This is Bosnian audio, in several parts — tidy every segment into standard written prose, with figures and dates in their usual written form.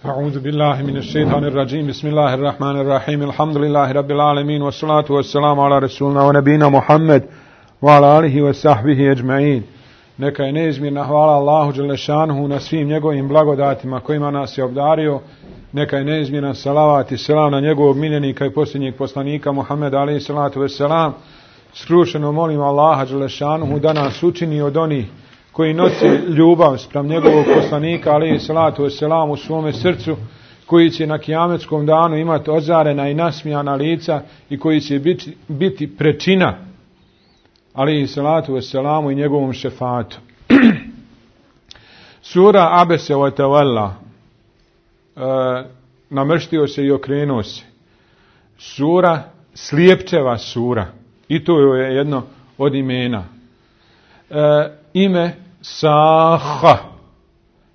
أعوذ بالله من الشيطان الرجيم بسم الله الرحمن الرحيم الحمد لله رب العالمين والصلاة والسلام على رسولنا ونبينا محمد وعلى آله وصحبه أجمعين. Neka je neizmjerna hvala Allahu dželešanuhu na svim njegovim blagodatima kojima nas je obdario. Neka je neizmjerna salavat i selam na njegovog miljenika i posljednjeg poslanika Muhammeda alejhi salatu vesselam. Skrušeno molim Allaha dželešanuhu da nas učini od onih koji nose ljubav spram njegovog poslanika alejhi salatu vesselam u svome srcu, koji će na kijametskom danu imati ozarena i nasmijana lica i koji će biti prečina alejhi salatu vesselamu i njegovom šefatu. Sura Abese wa tawalla, namrštio se i okrenuo se. Sura, slijepčeva sura, i to je jedno od imena. Ime Saha,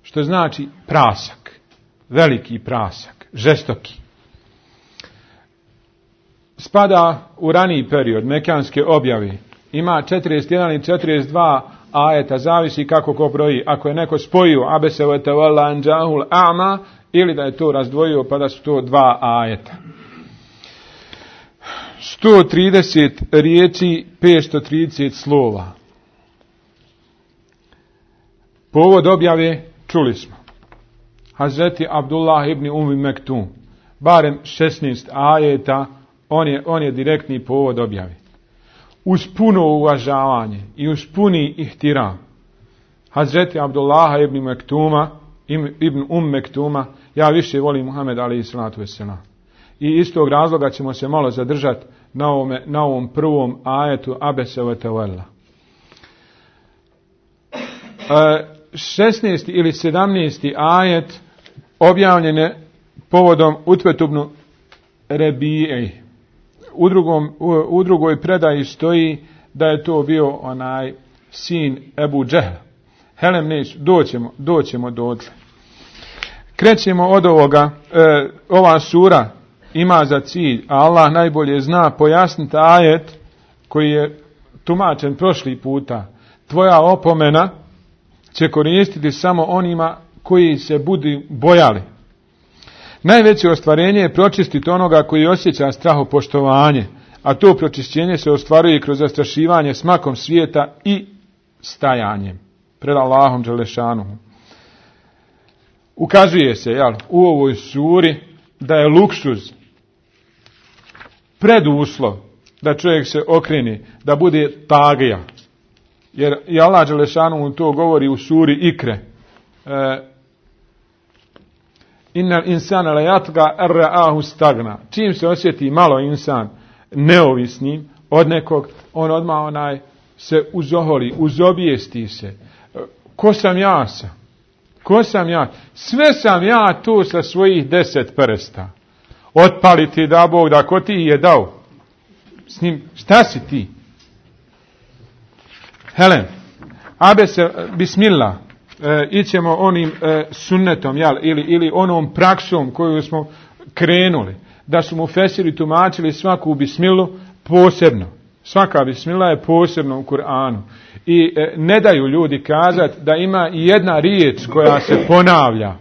što znači prasak, veliki prasak, žestoki. Spada u raniji period mekanske objave. Ima 41 i 42 ajeta, zavisi kako ko broji. Ako je neko spojio Abese wa tawalla an ja'ahul a'ma, ili da je to razdvojio pa da su to dva ajeta. 130 riječi, 530 slova. Povod objave čuli smo. Hazreti Abdullah ibn Mektum, barem 16 ajeta, on je direktni povod objave. Uz puno uvažavanje i uz puni ihtiram Hazreti Abdullaha ibn Mektuma, ja više volim Muhameda alejhi salatu vesselam. I iz tog razloga ćemo se malo zadržati na ovom prvom ajetu Abese wa tawalla. 16. ili 17. ajet objavljen je povodom Utbetubnu Rebije. U drugoj predaji stoji da je to bio onaj sin Ebu Džehla. Helem neću, doćemo dotle. Krećemo od ovoga. Ova sura ima za cilj, a Allah najbolje zna, pojasniti ajet koji je tumačen prošli puta. Tvoja opomena će koristiti samo onima koji se budu bojali. Najveće ostvarenje je pročistiti onoga koji osjeća strahopoštovanje, a to pročišćenje se ostvaruje kroz zastrašivanje smakom svijeta i stajanjem pred Allahom dželešanuhu. Ukazuje se u ovoj suri da je luksuz preduslov da čovjek se okrene, da bude tagija. Jer i Allah dželešanuhu to govori u suri Ikre. Innal insana la yatgha ar-ra'ahu stagna. Čim se osjeti malo insan neovisnim od nekog, on odmah se uzoholi, uzobijesti se. Ko sam ja? Sve sam ja tu sa svojih 10 prsta. Otpali ti da Bog, da ko ti je dao? S njim, šta si ti? Helen, Abese, bismillah. Ićemo onim sunnetom, ili onom praksom koju smo krenuli, da su mu fesiri tumačili svaku bismilu posebno. Svaka bismila je posebno u Kur'anu. I ne daju ljudi kazati da ima i jedna riječ koja se ponavlja,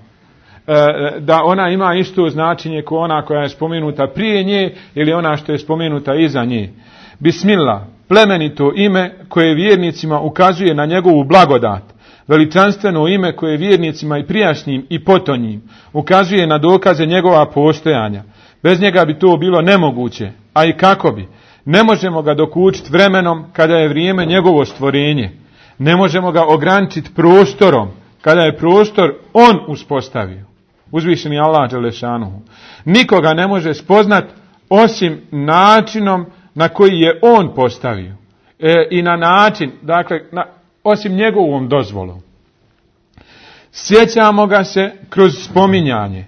da ona ima isto značenje kao ona koja je spomenuta prije nje ili ona što je spomenuta iza nje. Bismillah, plemenito ime koje vjernicima ukazuje na njegovu blagodat. Veličanstveno ime koje vjernicima i prijašnjim i potonjim ukazuje na dokaze njegova postojanja. Bez njega bi to bilo nemoguće, a i kako bi. Ne možemo ga dokučiti vremenom kada je vrijeme njegovo stvorenje. Ne možemo ga ograničiti prostorom kada je prostor on uspostavio. Uzvišeni Allah dželešanuhu. Nikoga ne može spoznat osim načinom na koji je on postavio. I na način, osim njegovom dozvolom. Sjećamo ga se kroz spominjanje.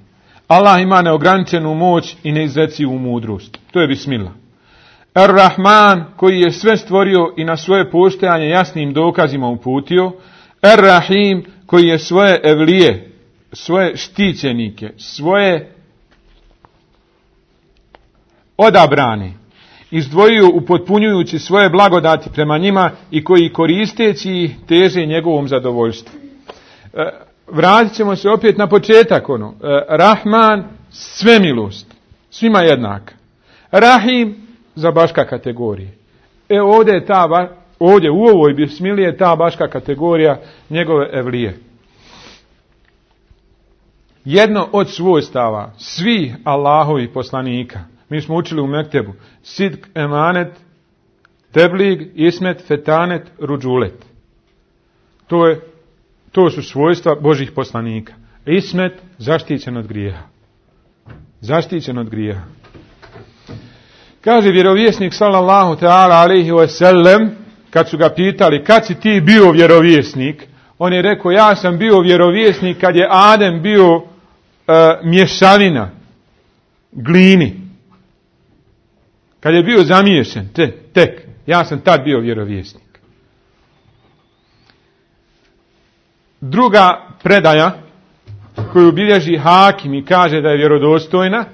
Allah ima neograničenu moć i neizrecivu mudrost. To je bismillah. Ar-Rahman, koji je sve stvorio i na svoje postojanje jasnim dokazima uputio. Ar-Rahim, koji je svoje evlije, svoje štićenike, svoje odabrane izdvojio upotpunjujući svoje blagodati prema njima i koji koristeći ih teže njegovom zadovoljstvu. vratit ćemo se opet na početak, Rahman, sve milost, svima jednaka. Rahim, za baška kategorije. Ovdje u ovoj bismili je ta baška kategorija njegove evlije. Jedno od svojstava svih Allahovih poslanika, mi smo učili u Mektebu, sidk, emanet, teblig, ismet, fetanet, ruđulet. To su svojstva Božih poslanika. Ismet, zaštićen od grijeha. Zaštićen od grijeha. Kaže vjerovjesnik sallallahu ta'ala alejhi ve sellem, kad su ga pitali kad si ti bio vjerovjesnik, on je rekao ja sam bio vjerovjesnik kad je Adem bio mješavina glini. Kad je bio zamiješan, tek, ja sam tad bio vjerovjesnik. Druga predaja koju bilježi Hakim i kaže da je vjerodostojna,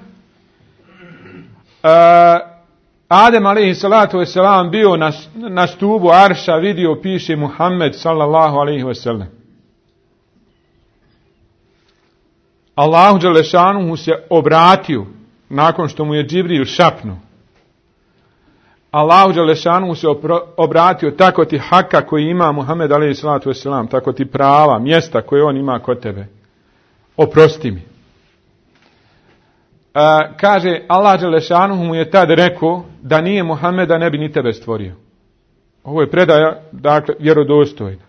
Adem alejhi salatu vesselam bio na stubu arša, vidio, piše Muhammed sallallahu alejhi ve sellem. Allahu dželešanu mu se obratio nakon što mu je Džibril šapnuo. Allahu dželešanu mu se obratio, tako ti haka koji ima Muhammed alejhi salatu vesselam, tako ti prava, mjesta koje on ima kod tebe. Oprosti mi. Kaže, Allah dželešanu mu je tad rekao da nije Muhameda ne bi ni tebe stvorio. Ovo je predaja, dakle, vjerodostojna.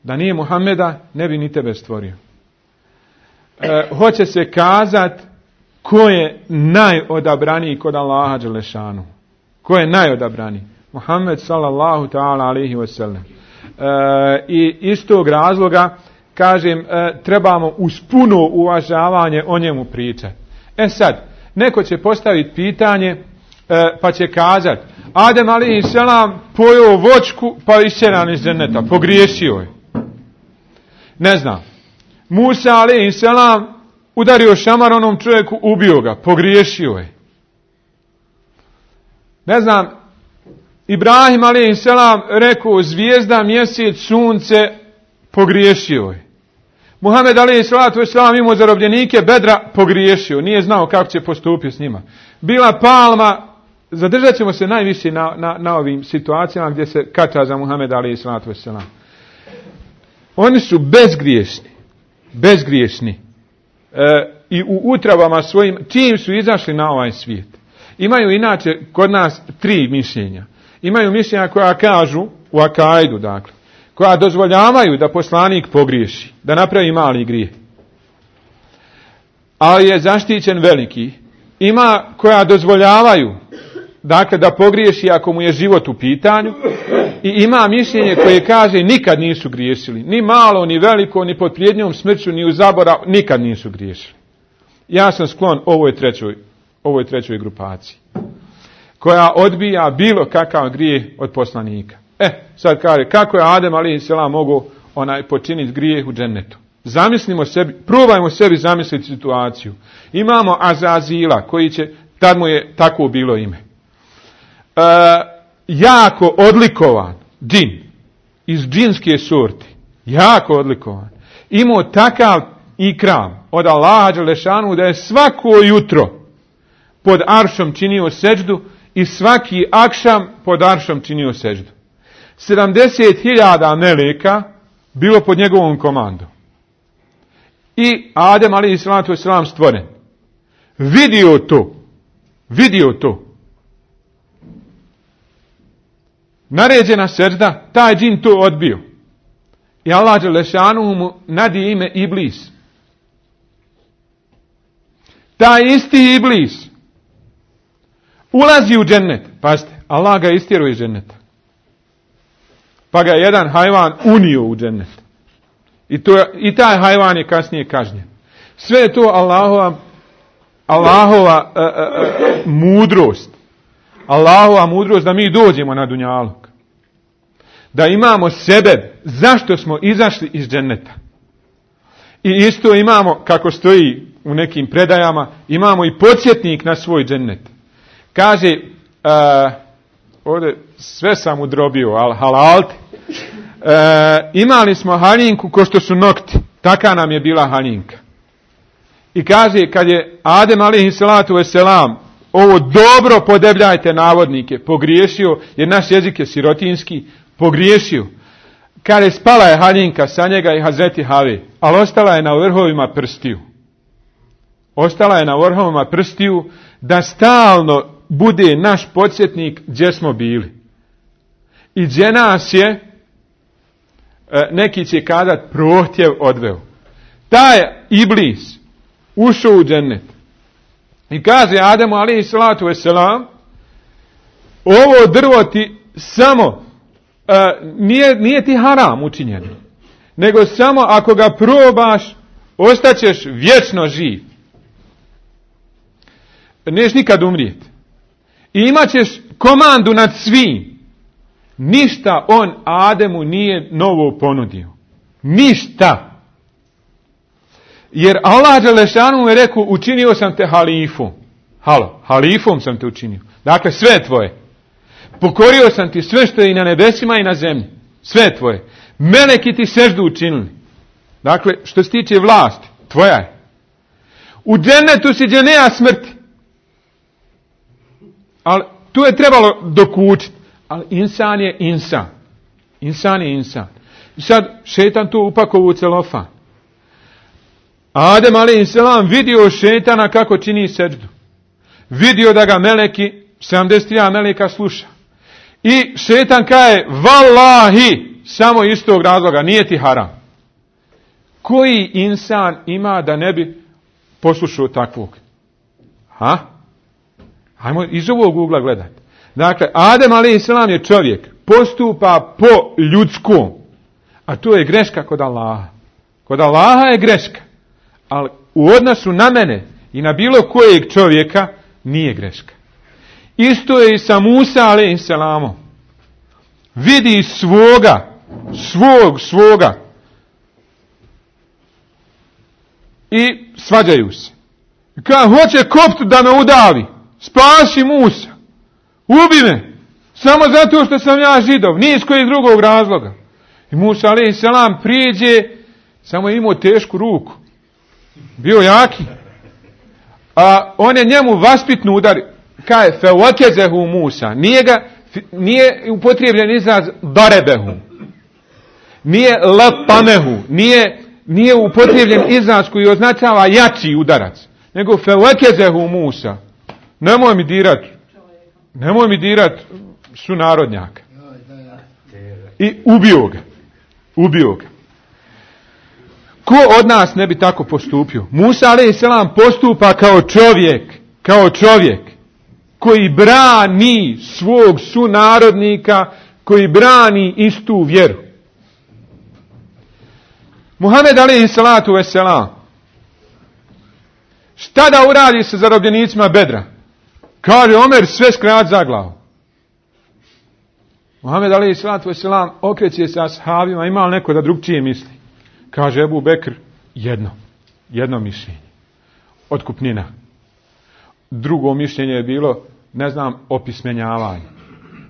Da nije Muhameda ne bi ni tebe stvorio. Hoće se kazat ko je najodabraniji kod Allaha dželešanu. Ko je najodabraniji? Muhammed sallallahu ta'ala alejhi ve sellem. I iz tog razloga kažem, trebamo uz puno uvažavanje o njemu pričati. Sad, neko će postaviti pitanje, pa će kazati, Adem alejhi selam pojeo voćku, pa isjeran iz dženeta, pogriješio je. Ne znam. Musa alejhi selam udario šamar onom čovjeku, ubio ga, pogriješio je. Ne znam, Ibrahim alejhi selam rekao zvijezda, mjesec, sunce, pogriješio je. Muhammed alejhi salatu vesselam imao zarobljenike Bedra, pogriješio, nije znao kako će postupiti s njima. Bila palma, zadržat ćemo se najviše na ovim situacijama gdje se kača za Muhammed alejhi salatu vesselam. Oni su bezgriješni. I u utrabama svojim, čim su izašli na ovaj svijet. Imaju inače kod nas 3 mišljenja. Imaju mišljenja koja kažu, u akaidu dakle, koja dozvoljavaju da poslanik pogriješi, da napravi mali grijeh. Ali je zaštićen veliki. Ima koja dozvoljavaju, dakle, da pogriješi ako mu je život u pitanju. I ima mišljenje koje kaže nikad nisu griješili. Ni malo, ni veliko, ni pod prijetnjom smrću, ni u zaborav, nikad nisu griješili. Ja sam sklon ovoj trećoj grupaciji, koja odbija bilo kakav grijeh od poslanika. Sad kaže, kako je Adem alejhi selam mogao počiniti grijeh u džennetu? Zamislimo sebi, probajmo sebi zamisliti situaciju. Imamo Azazila, koji će, tad mu je tako bilo ime. Jako odlikovan džin, iz džinske sorte, jako odlikovan. Imao takav ikram od Allaha dželešanu da je svako jutro pod aršom činio seđdu i svaki akšam pod aršom činio seđdu. 70.000 meleka bilo pod njegovom komandom. I Adem alejhi salatu vesselam stvoren. Vidio to. Naređena sežda, taj džin to odbio. I Allah dželešanu mu nadi ime Iblis. Taj isti Iblis ulazi u džennet. Pazite, Allah ga istjerao iz dženneta. Pa ga jedan hajvan unio u džennet. I taj hajvan je kasnije kažnjen. Sve je to Allahova mudrost. Allahova mudrost da mi dođemo na dunjaluk. Da imamo sebe zašto smo izašli iz dženneta. I isto imamo, kako stoji u nekim predajama, imamo i podsjetnik na svoj džennet. Kaže, ovdje sve sam udrobio, ali halalte. imali smo haljinku ko što su nokti. Taka nam je bila haljinka. I kaže, kad je Adem alejhi salatu vesselam, ovo dobro podebljajte navodnike, pogriješio, jer naš jezik je sirotinski, pogriješio. Kad je spala je haljinka sa njega i Hazreti Have, ali ostala je na vrhovima prstiju. Ostala je na vrhovima prstiju da stalno bude naš podsjetnik gdje smo bili. I gdje nas je, neki će kazat, prohtjev odveo. Taj Iblis ušao u džennet. I kaže Ademu alejhi salatu vesselam, ovo drvo ti samo, nije ti haram učinjeno, nego samo ako ga probaš, ostaćeš vječno živ. Neš nikad umrijeti. I imat ćeš komandu nad svim. Ništa on Ademu nije novo ponudio. Ništa. Jer Allah dželešanu mu je rekao, učinio sam te halifom. Halifom sam te učinio. Dakle, sve tvoje. Pokorio sam ti sve što je i na nebesima i na zemlji. Sve tvoje. Meleki ti seždu učinili. Dakle, što se tiče vlasti, tvoja je. U džennetu si gdje nema smrti. Ali tu je trebalo dokučiti. Ali insan je insan. Insan je insan. I sad šetan tu upakovu u celofan. Adem alejhiselam vidio šetana kako čini seđdu. Vidio da ga meleki, 71 meleka sluša. I šetan kaže, vallahi, samo iz tog razloga, nije ti haram. Koji insan ima da ne bi poslušao takvog? Hajmo iz ovog ugla gledati. Dakle, Adem alejhiselam je čovjek, postupa po ljudskom, a to je greška kod Allaha. Kod Allaha je greška, ali u odnosu na mene i na bilo kojeg čovjeka nije greška. Isto je i sa Musa alejhiselamom. Vidi svoga i svađaju se. Kad hoće kopt da me udavi, spasi Musa, ubi me, samo zato što sam ja Židov, nije iz kojeg drugog razloga. I Musa alejhiselam priđe, samo je imao tešku ruku, bio jaki, a on je njemu vaspitno udari, kaže fewakezehu Musa, nije upotrijebljen izraz darebehu, nije lapamehu, nije upotrijebljen izraz koji označava jači udarac, nego fewakezehu Musa. Nemoj mi dirat sunarodnjaka. I ubio ga. Ko od nas ne bi tako postupio? Musa alejhiselam postupa kao čovjek koji brani svog sunarodnika, koji brani istu vjeru. Muhammed alejhiselatu vesselam, šta da uradi sa zarobljenicima Bedra? Kaže Omer, sve skrat za glavu. Muhammed alejhiselatu vesselam okreće se ashabima, ima li neko da drugčije misli? Kaže Ebu Bekr, jedno mišljenje. Otkupnina. Drugo mišljenje je bilo, opismenjavanje.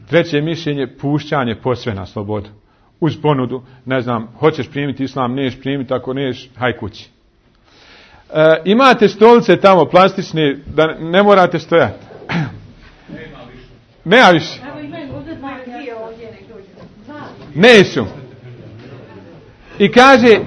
Treće mišljenje, pušćanje posve na slobodu. Uz ponudu, hoćeš primiti islam, neš primiti, ako neš, haj kući. Imate stolice tamo plastične, da ne morate stojati. Nema više. Nesu. I kaže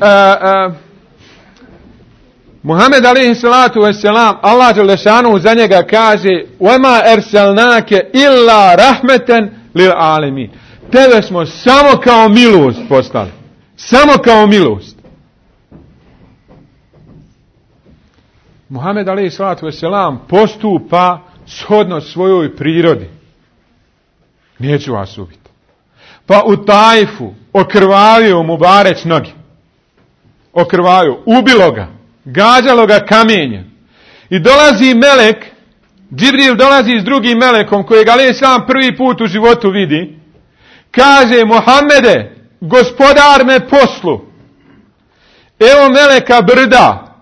Muhammed alejhiselatu vesselam, Allah dželešanu za njega kaže وَمَا أَرْسَلْنَاكَ إِلَّا رَحْمَةً لِلْعَالَمِينَ. Tebe smo samo kao milost poslali. Samo kao milost. Muhammed alejhiselatu vesselam postupa shodno svojoj prirodi. Neću vas ubiti. Pa u Tajfu okrvavio mu bareć noge. Okrvavio, ubilo ga, gađalo ga kamenjem. I dolazi melek, Džibril dolazi s drugim melekom kojeg alejhiselam prvi put u životu vidi. Kaže, Muhammede, gospodar me poslu. Evo meleka brda.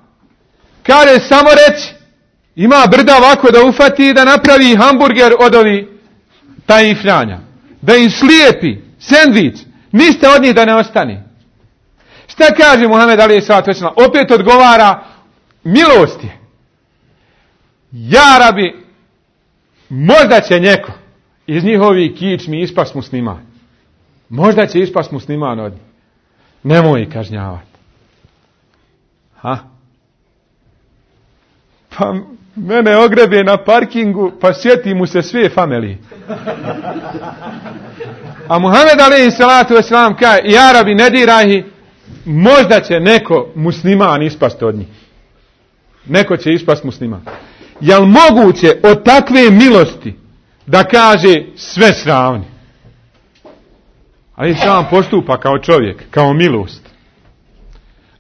Kaže, samo reci. Ima brda ovako da ufati i da napravi hamburger od ovih Taifljanja. Da im slijepi sendvič. Ništa od njih da ne ostane. Šta kaže Muhammed alejhi salatu vesselam? Opet odgovara, milost je. Ja Rabi, možda će neko iz njihovih kičmi ispast musliman. Možda će ispast musliman od njih. Nemoj ih kažnjavati. Pa mene ogrebe na parkingu, pa sjeti mu se sve familije. A Muhammed alejhi salatu vesselam kaže, ja Rabi, ne diraj ih, možda će neko musliman ispast od njih. Neko će ispast musliman. Jel moguće od takve milosti da kaže sve sravni? Ali sam postupa kao čovjek, kao milost.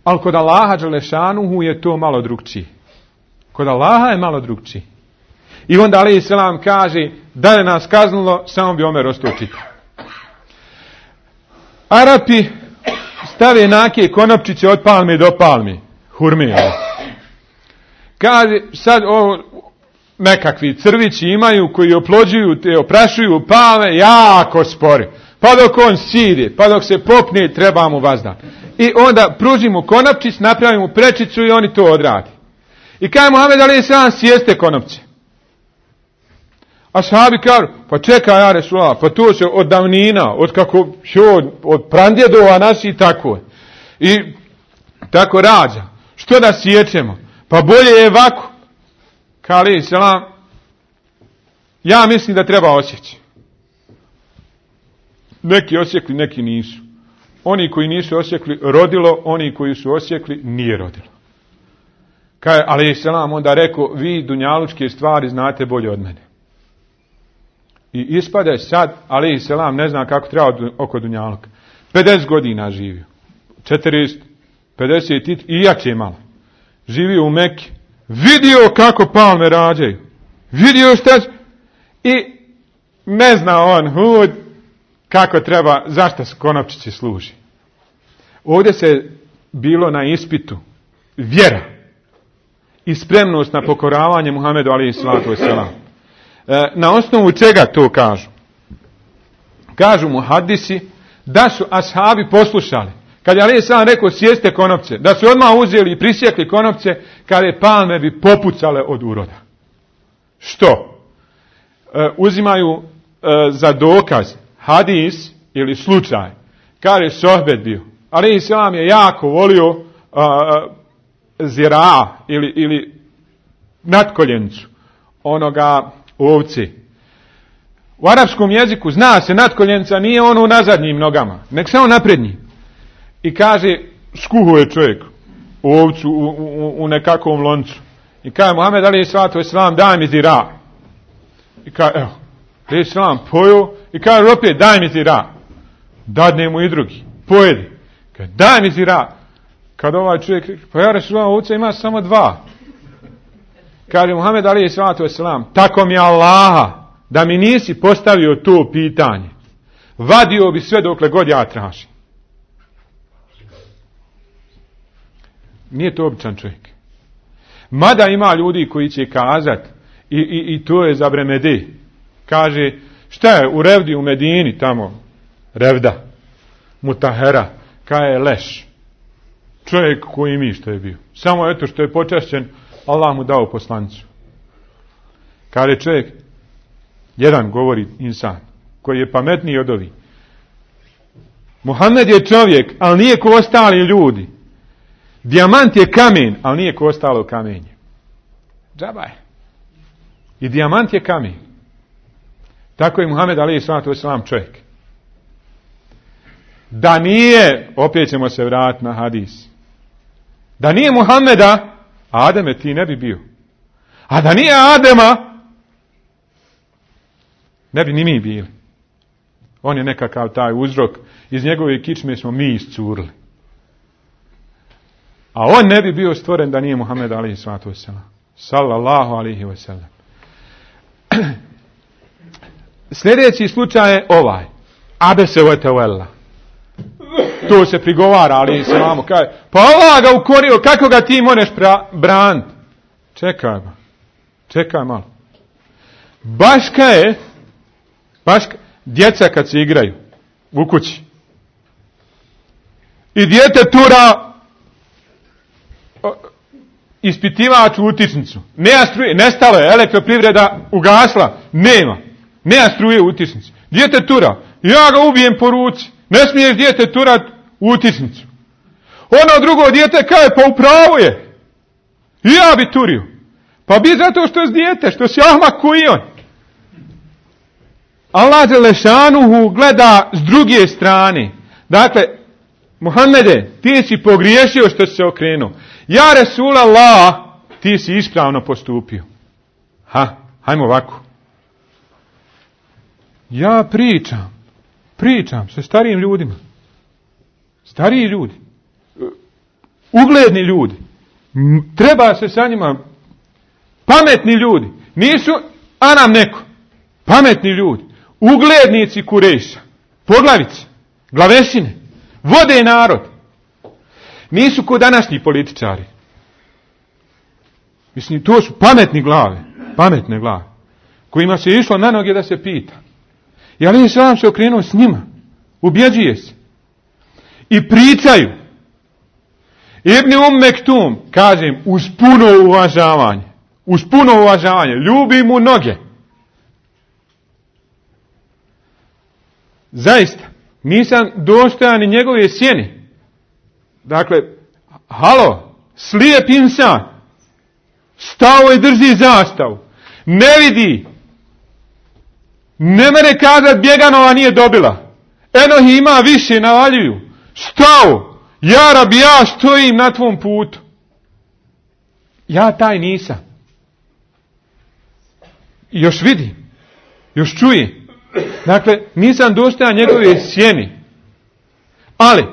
Ali kod Allaha dželešanuhu je to malo drugčije. Kod Allaha je malo drugčije. I onda alejhi selam kaže, da je nas kaznilo, samo bi Omer ostao čitav. Arapi stave nake konopčiće od palme do palme. Hurme. Kaže, sad ovo nekakvi crvići imaju koji oplođuju, te oprašuju palme jako spori. Pa dok on sidi, pa dok se popne, treba mu vazdan. I onda pružimo konopčić, napravimo prečicu i oni to odradi. I kaže Muhammed alejhi selam, sjeste konopće. A sahabi kažu, pa čekaj ja Resulullah, pa to se od davnina, od pradjedova naši tako je. I tako rađa. Što da sjećemo? Pa bolje je ovako. Kaže alejhi selam, ja mislim da treba osjeći. Neki osjekli, neki nisu. Oni koji nisu osjekli, rodilo, oni koji su osjekli, nije rodilo. Kaže alejhi selam onda rekao, vi dunjalučke stvari znate bolje od mene. I ispade sad, alejhi selam ne zna kako treba oko dunjaluka. 50 godina živio. 40, 50 i jače malo. Živio u Mekki. Vidio kako palme rađaju. Vidio šta i ne zna on kako treba, zašto se konopčići služi. Ovdje se bilo na ispitu vjera i spremnost na pokoravanje Muhammedu alejhi salatu vesselam. Na osnovu čega to kažu? Kažu mu hadisi da su ashabi poslušali. Kad je alejhi selam rekao sjeste konopce, da su odmah uzeli i prisjekli konopce, kada palme bi popucale od uroda. Što? Uzimaju za dokaz hadis ili slučaj. Kaže sohbet bio. Alejhi selam je jako volio zira ili natkoljencu onoga ovce. U arapskom jeziku zna se natkoljenca nije ono na zadnjim nogama, nek samo naprednji. I kaže, skuhuje čovjek ovcu u nekakvom loncu. I kaže, Muhammed alejhi salatu vesselam, daj mi zira. I kaže, evo, alejhi selam pojeo i kaže, opet, daj mi zira. Dadne mu i drugi, pojedi. Kaže, daj mi zira. Kad ovaj čovjek, pa ja Resulullah, ovca ima samo 2. Kaže Muhammed alejhi salatu vesselam, tako mi Allaha, da mi nisi postavio to pitanje, vadio bi sve dokle god ja tražim. Nije to običan čovjek. Mada ima ljudi koji će kazati, i to je za Bremede, kaže, šta je u Revdi u Medini tamo, Revda, Mutahera, kaj je leš. Čovjek koji mi što je bio. Samo eto što je počašćen, Allah mu dao poslanicu. Kaže čovjek, jedan govori insan, koji je pametniji od ovih. Muhammed je čovjek, ali nije ko ostali ljudi. Dijamant je kamen, ali nije ko ostalo kamenje. Džaba je. I dijamant je kamen. Tako je Muhammed alejhi salatu vesselam čovjek. Da nije, opet ćemo se vratiti na hadis. Da nije Muhammeda, Ademe ti ne bi bio. A da nije Adema, ne bi ni mi bili. On je nekakav taj uzrok. Iz njegove kičme smo mi iscurili. A on ne bi bio stvoren da nije Muhammed alejhi salatu vesselam. Sallallahu alejhi ve sellem. Sljedeći slučaj je ovaj. Abese wa tawalla. To se prigovara, ali se vamo kaže, pa Allah ga ukorio, kako ga ti možeš braniti? Čekaj malo. Baška je, djeca kad se igraju u kući, i dijete tura ispitivač u utičnicu. Nema struje, nestalo je, elektroprivreda ugasla, nema struje u utičnici. Dijete tura, ja ga ubijem po ruci, ne smiješ dijete turat u utičnicu. Ono drugo dijete kaže, pa upravo je, i ja bi turio. Pa bi zato što je dijete, što si ahmak koji on. Allah dželešanuhu gleda s druge strane. Dakle, Muhammede, ti si pogriješio što si se okrenuo. Ja Resulallah, ti si ispravno postupio. Hajmo ovako. Ja pričam sa starijim ljudima. Stariji ljudi. Ugledni ljudi. Treba se sa njima, pametni ljudi. Nisu Anam neko. Pametni ljudi. Uglednici Kurejša. Poglavice. Glavešine. Vode narod. Nisu ko današnji političari. Mislim, to su pametne glave, kojima se išlo na noge da se pita. I Ali selam se okrenuo s njima. Ubjeđuje se. I pričaju. Ibn Mektum, kažem, uz puno uvažavanje, ljubi mu noge. Zaista, nisam dostojan ni njegove sjene. Dakle, slijep insan, stao i drži zastavu, ne vidi, ne mere kazat Bjeganova nije dobila, eno ima više, navaljuju, stao, ja Rabi, ja stojim na tvom putu. Ja taj nisam. Još vidim, još čujem. Dakle, nisam dostojan njegove sjeni. Ali,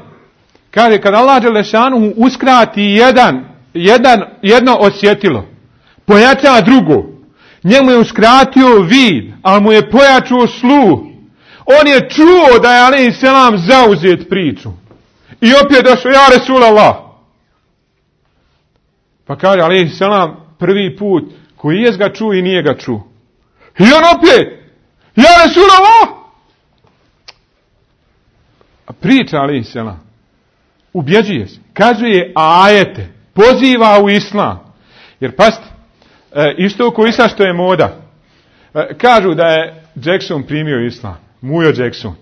kaže, kad Allah dželešanu uskrati jedno osjetilo, pojača drugo, njemu je uskratio vid, ali mu je pojačao sluh. On je čuo da je alejhi selam zauzet priču. I opet došao, ja Resulallah. Pa kaže, alejhi selam, prvi put, koji je ga čuo i nije ga čuo. I on opet, ja Resulallah. A priča alejhi selam. Ubjeđuje se. Kazuje ajete. Poziva u islam. Jer pasti, isto ko islam što je moda. Kažu da je Jackson primio islam. Mujo Jackson.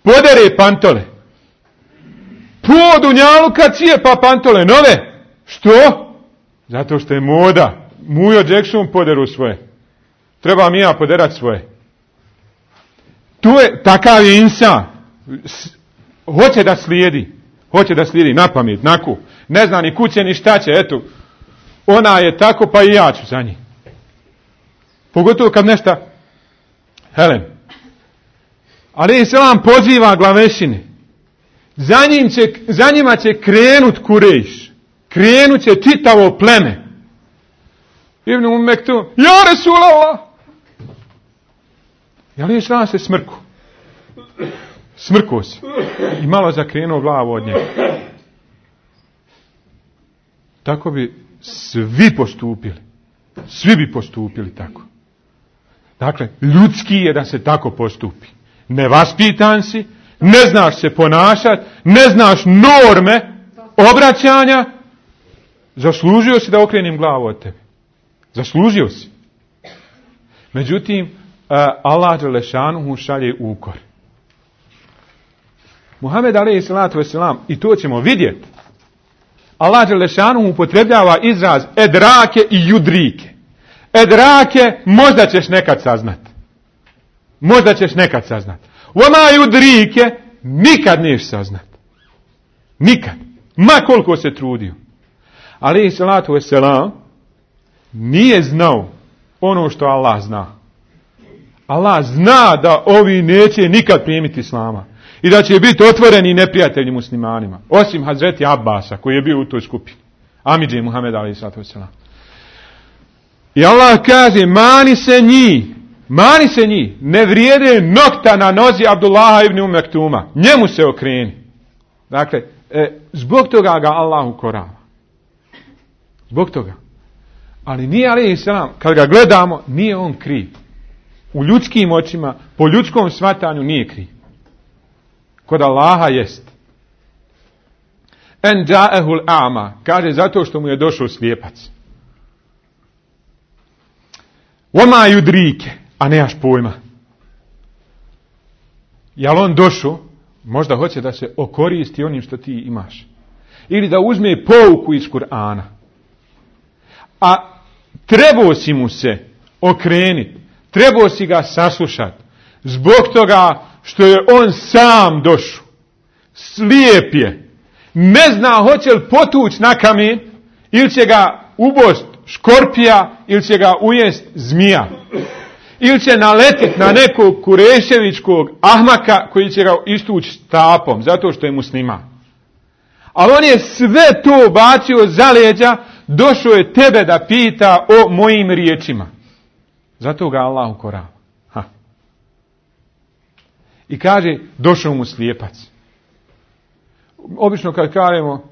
Podere pantole. Po dunjaluka cijepa pantole nove. Što? Zato što je moda. Mujo Jackson poderu svoje. Treba mi ja poderat svoje. Tu je takav insan. Hoće da slijedi na pamet, naku. Ne zna ni kuće ni šta će, eto. Ona je tako, pa i ja ću za njih. Pogotovo kad nešto Helen. Ali se vam poziva glavešine. Za njima će krenut Kurejš. Krenut će čitavo pleme. Ibn Mektum, ja Resulallah. Ali se vam se smrkuo se. I malo zakrenuo glavu od njega. Tako bi svi postupili tako. Dakle, ljudski je da se tako postupi. Nevaspitan si, ne znaš se ponašati, ne znaš norme obraćanja, zaslužio si da okrenim glavu od tebe. Zaslužio si. Međutim, Allah dželešanuhu šalje ukor. Muhammed alejhi salatu vesselam, i to ćemo vidjeti, Allah dželešanuhu upotrebljava izraz edrake i judrike. Edrake možda ćeš nekad saznat. Vama judrike nikad neš saznat. Nikad. Ma koliko se trudio. Alejhi salatu vesselam nije znao ono što Allah zna. Allah zna da ovi neće nikad primiti islama. I da će biti otvoreni neprijatelji muslimanima. Osim Hazreti Abbasa koji je bio u toj skupini. Amidži Muhammed alejhi salatu vesselam. I Allah kaže, mani se njih, ne vrijede nokta na nozi Abdullaha ibn Mektuma. Njemu se okreni. Dakle, zbog toga ga Allah ukorava. Zbog toga. Ali nije alejhi selam, kad ga gledamo, nije on kriv. U ljudskim očima, po ljudskom shvatanju nije kriv. Kod Allaha jest. En džaehul a'ma, kaže zato što mu je došao slijepac. Oma judrike, a nemaš pojma. Jel on došao, možda hoće da se okoristi onim što ti imaš. Ili da uzme pouku iz Kur'ana. A trebao si mu se okrenuti, trebao si ga saslušati. Zbog toga što je on sam došao. Slijep je. Ne zna hoće li potući na kamen, ili će ga ubost škorpija, ili će ga ujest zmija. Ili će naletiti na nekog kureševičkog ahmaka koji će ga istući štapom, zato što je musliman. Ali on je sve to bacio za leđa, došao je tebe da pita o mojim riječima. Zato ga Allah ukorava. I kaže, došao mu slijepac. Obično kad kažemo,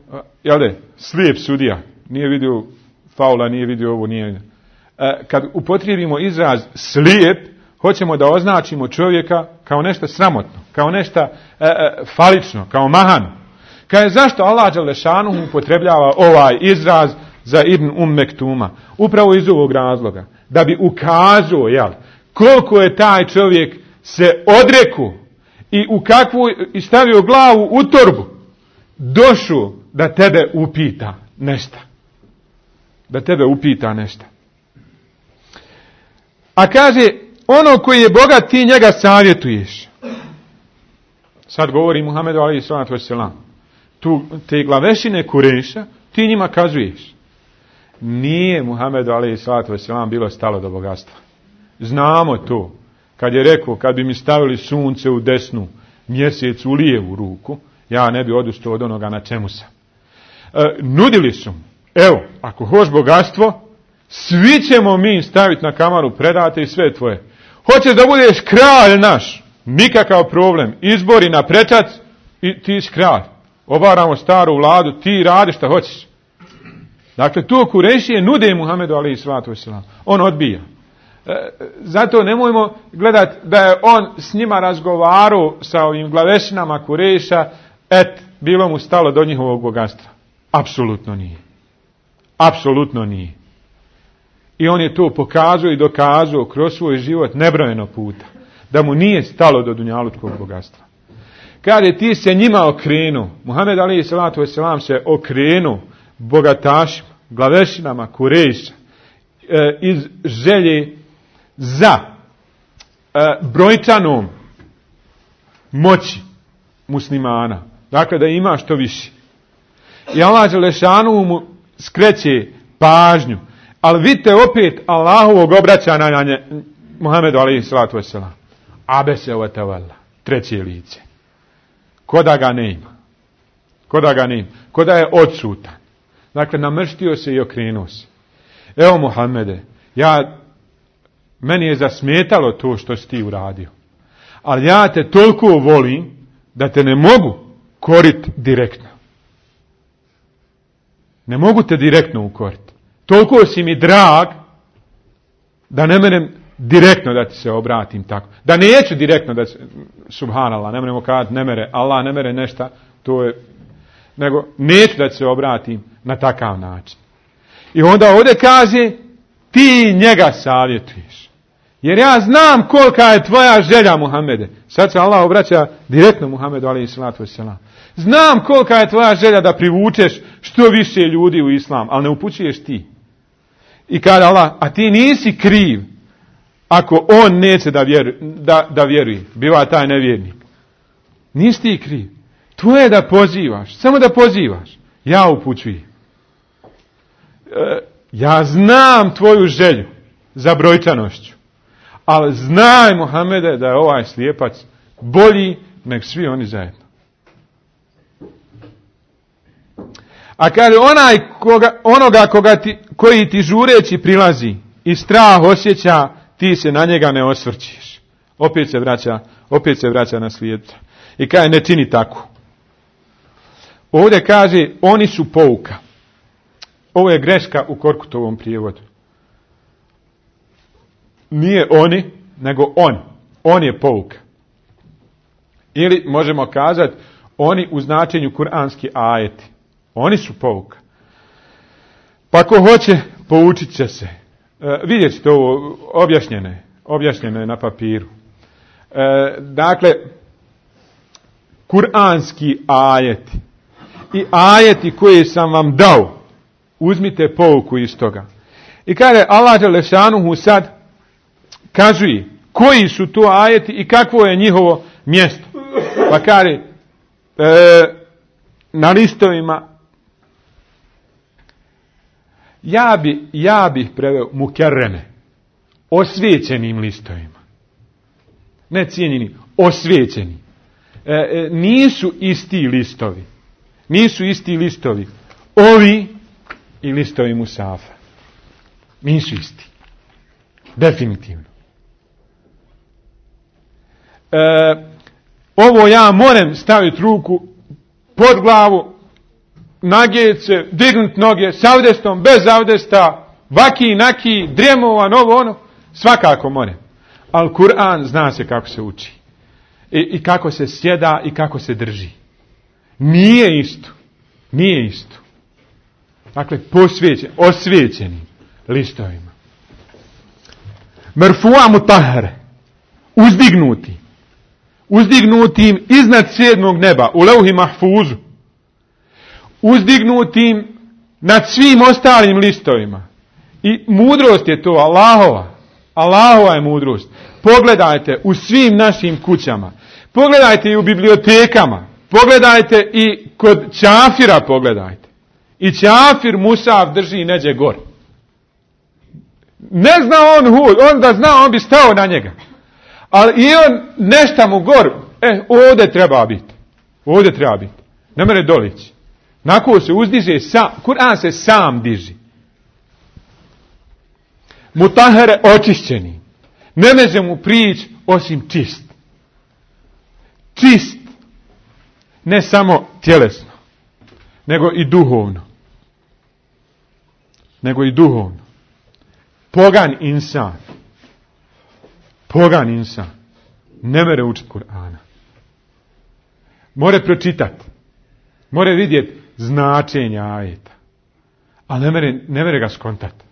slijep sudija, nije vidio faula, nije vidio ovo, nije vidio. Kad upotrijebimo izraz slijep, hoćemo da označimo čovjeka kao nešto sramotno, kao nešto falično, kao mahano. Kaže, zašto Allah dželešanuhu upotrebljava ovaj izraz za Ibn Mektuma? Upravo iz ovog razloga. Da bi ukazao, koliko je taj čovjek se odrekao i u kakvu, i stavio glavu u torbu, došao da tebe upita nešto. Da tebe upita nešto. A kaže, ono koji je bogat, ti njega savjetuješ. Sad govori Muhammedu alejhi salatu vesselam. Tu te glavešine Kureša, ti njima kazuješ. Nije Muhammedu alejhi salatu vesselam bilo stalo do bogatstva. Znamo to. Kad je rekao, kad bi mi stavili sunce u desnu, mjesec u lijevu ruku, ja ne bi odustao od onoga na čemu sam. Nudili su mu, evo, ako hoš bogatstvo, svi ćemo mi staviti na kamaru, predate i sve tvoje. Hoćeš da budeš kralj naš, nikakav problem. Izbori na prečac i ti si kralj. Obaramo staru vladu, ti radi šta hoćeš. Dakle, to Kurešije nude Muhammedu alejhi salatu vesselam. On odbija. Zato nemojmo gledati da je on s njima razgovarao sa ovim glavešinama Kureša, bilo mu stalo do njihovog bogatstva. Apsolutno nije. Apsolutno nije. I on je to pokazao i dokazao kroz svoj život nebrojeno puta. Da mu nije stalo do dunjalučkog bogatstva. Kaže, ti se njima okrenuo. Muhammed alejhi salatu vesselam se okrenuo bogatašima, glavešinama Kureša iz želje za brojčanom moći muslimana. Dakle, da ima što više. I Allah dželešanu mu skreće pažnju. Ali vidite opet Allahovog obraćanja na Muhammedu alejhi salatu vesselam. Abese wa tawalla. Treće lice. Koda ga nema. Koda ga nema. Koda je odsutan. Dakle, namrštio se i okrenuo se. Evo Muhammede, meni je zasmetalo to što si ti uradio. Ali ja te toliko volim da te ne mogu koriti direktno. Ne mogu te direktno ukoriti. Toliko si mi drag da ne menem direktno da ti se obratim tako. Da neću direktno da subhanallah, ne meremo kazati ne mere, Allah ne mere nešta, to je, nego neću da se obratim na takav način. I onda ovdje kaže, ti njega savjetuješ. Jer ja znam kolika je tvoja želja, Muhammede. Sad se Allah obraća direktno Muhammedu alejhi salatu vesselam. Znam kolika je tvoja želja da privučeš što više ljudi u islam, ali ne upućuješ ti. I kaže Allah, a ti nisi kriv ako on neće da vjeruje. Biva taj nevjernik. Nisi ti kriv. Tvoje je da pozivaš. Samo da pozivaš. Ja upućujem. Ja znam tvoju želju za brojčanošću. Ali znaj, Muhammede, da je ovaj slijepac bolji nek svi oni zajedno. A kaže, onoga koji ti žureći prilazi i strah osjeća, ti se na njega ne osvrćiš. Opet se vraća na slijedca. I kaže, ne čini tako. Ovdje kaže, oni su pouka. Ovo je greška u Korkutovom prijevodu. Nije oni, nego on. On je pouka. Ili možemo kazati, oni u značenju kuranski ajeti. Oni su pouka. Pa ko hoće, poučit će se. Vidjet ćete ovo objašnjeno je na papiru. Dakle, kuranski ajeti i ajeti koje sam vam dao, uzmite pouku iz toga. I kaže Allah dželešanuhu sad kazuje koji su to ajeti i kakvo je njihovo mjesto. Pa kaže na listovima, ja bih preveo mukerreme, osvijećenim listovima. Ne cijenjeni, osvijećeni. Nisu isti listovi. Nisu isti listovi. Ovi i listovi musafa. Nisu isti. Definitivno. Ovo ja moram staviti ruku pod glavu, nagijeti se, dignuti noge, s avdestom, bez avdesta, vaki, naki, dremovan, ovo, ono, svakako moram. Ali Kur'an zna se kako se uči. I kako se sjeda i kako se drži. Nije isto. Nije isto. Dakle, osvijećenim listovima. Merfu'a mutahhare. Uzdignutim iznad 7. neba, u leuhi mahfuzu. Uzdignutim nad svim ostalim listovima. I mudrost je to, Allahova je mudrost. Pogledajte u svim našim kućama. Pogledajte i u bibliotekama. Pogledajte i kod čafira pogledajte. I čafir musaf drži neđe gor. Ne zna on hud, on da zna on bi stao na njega. Ali i on nešta mu gor. Ovdje treba biti. Ovdje treba biti. Ne mere dolići. Nakon se uzdiže sam. Kur'an se sam diži. Mutahere očišćeni. Ne može mu prići osim čist. Čist. Ne samo tjelesno. Nego i duhovno. Pogan insan. Ne mere učiti Kur'ana. More pročitati. More vidjeti značenja ajeta. Ali ne mere ga skontati.